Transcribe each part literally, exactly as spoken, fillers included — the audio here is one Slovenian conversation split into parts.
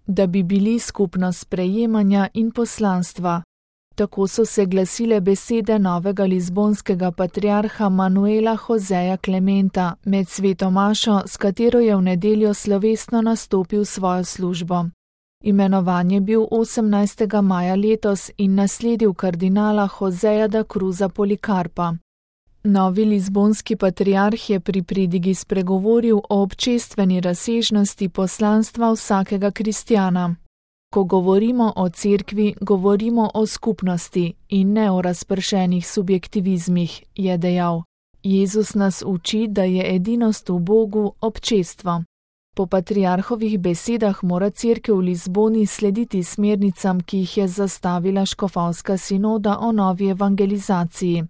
da bi bili skupnost sprejemanja in poslanstva. Tako so se glasile besede novega lizbonskega patriarha Manuela Joseja Klementa med sveto mašo, s katero je v nedeljo slovesno nastopil svojo službo. Imenovan je bil osemnajstega maja letos in nasledil kardinala Joseja da Cruza Polikarpa. Novi lizbonski patriarh je pri pridigi spregovoril o občestveni razsežnosti poslanstva vsakega kristjana. Ko govorimo o cerkvi, govorimo o skupnosti in ne o razpršenih subjektivizmih, je dejal. Jezus nas uči, da je edinost v Bogu občestvo. Po patriarhovih besedah mora cerkev v Lizboni slediti smernicam, ki jih je zastavila škofovska sinoda o novi evangelizaciji.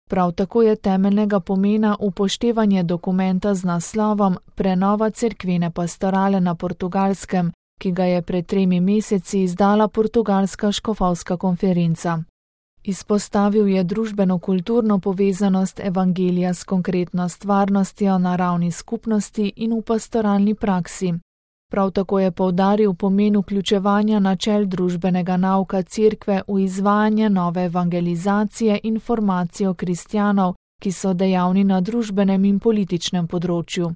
Prav tako je temeljnega pomena upoštevanje dokumenta z naslovom Prenova cerkvene pastorale na Portugalskem, ki ga je pred tremi meseci izdala portugalska škofovska konferenca. Izpostavil je družbeno-kulturno povezanost evangelija s konkretno stvarnostjo na ravni skupnosti in v pastoralni praksi. Prav tako je poudaril pomen vključevanja načel družbenega nauka cerkve v izvajanje nove evangelizacije in formacijo kristjanov, ki so dejavni na družbenem in političnem področju.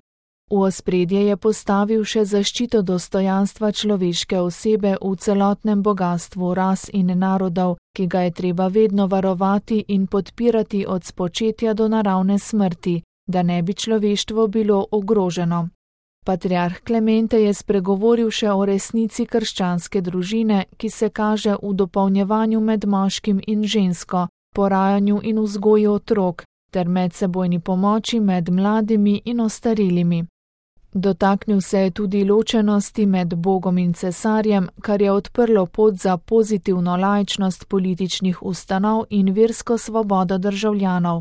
V ospredje je postavil še zaščito dostojanstva človeške osebe v celotnem bogastvu ras in narodov, ki ga je treba vedno varovati in podpirati od spočetja do naravne smrti, da ne bi človeštvo bilo ogroženo. Patriarh Klemente je spregovoril še o resnici krščanske družine, ki se kaže v dopolnjevanju med moškim in žensko, porajanju in vzgoji otrok, ter medsebojni pomoči med mladimi in ostarelimi. Dotaknil se je tudi ločenosti med Bogom in cesarjem, kar je odprlo pot za pozitivno laičnost političnih ustanov in versko svobodo državljanov.